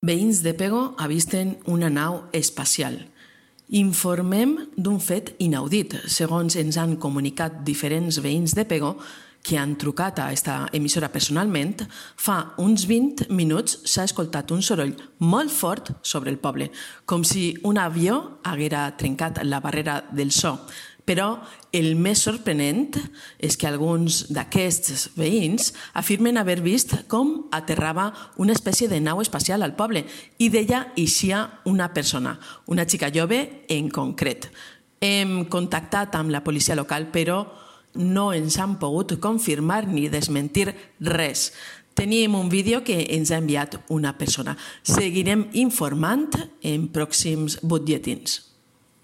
Veïns de Pego avisten una nau espacial. Informem d'un fet inaudit, segons ens han comunicat diferents veïns de Pego que han trucat a aquesta emissora personalment. Fa uns 20 minuts s'ha escoltat un soroll molt fort sobre el poble, com si un avió haguera trencat la barrera del so. Però el més sorprenent és que alguns d'aquests veïns afirmen haver vist com aterrava una espècie de nau espacial al poble i d'ella eixia una persona, una xica jove en concret. Hem contactat amb la policia local, però no ens han pogut confirmar ni desmentir res. Tenim un vídeo que ens ha enviat una persona. Seguirem informant en pròxims butlletins.